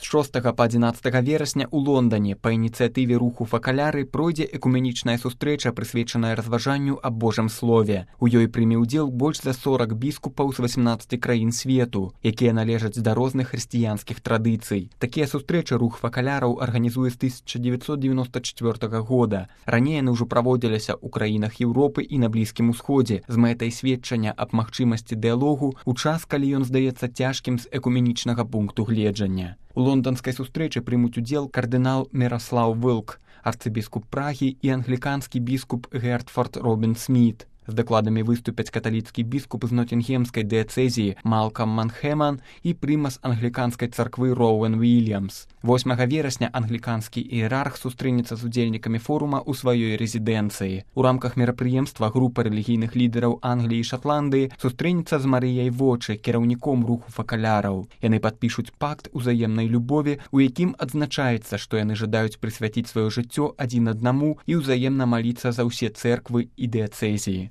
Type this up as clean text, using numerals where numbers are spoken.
6 па 11 верасня ў Лондане па ініцыятыве руху Факаляры пройдзе экуменічная сустрэча, прысвечаная разважанню аб Божым слове. У ёй прыме ўдзел больш за 40 біскупаў з 18 краін свету, якія належаць да розных хрысціянскіх традыцый. Такія сустрэчы рух Факаляраў арганізуе з 1994 года. Раней яны ўжо праводзіліся ў краінах Еўропы і на Блізкім Усходзе з мэтай сведчання аб магчымасці дыялогу у час, калі ён здаецца цяжкім з экуменічнага пункту гледжання. У лонданскай сустрэчы прымуць удзел кардынал Міраслаў Вилк, арцыбіскуп Прагі і англіканскі біскуп Гертфорд Робін Сміт. З дакладамі выступяць каталіцкі біскуп з Ноцінгемскай дыяцэзіі Малкам Манхэман і прымас англіканскай царквы Роуэн Уільямс. 8 верасня англіканскі іерарх сустрэнецца з удзельнікамі форума ў сваёй рэзідэнцыі. У рамках мерапрыемства група рэлігійных лідараў Англіі і Шатландыі сустрэнецца з Марыяй Вочы, кіраўніком руху Факаляраў. Яны падпішуць пакт узаемнай любові, у якім адзначаецца, што яны жадаюць прысвяціць сваё жыццё адзін аднаму і ўзаемна маліцца за ўсе цэрквы і дыяцэзіі.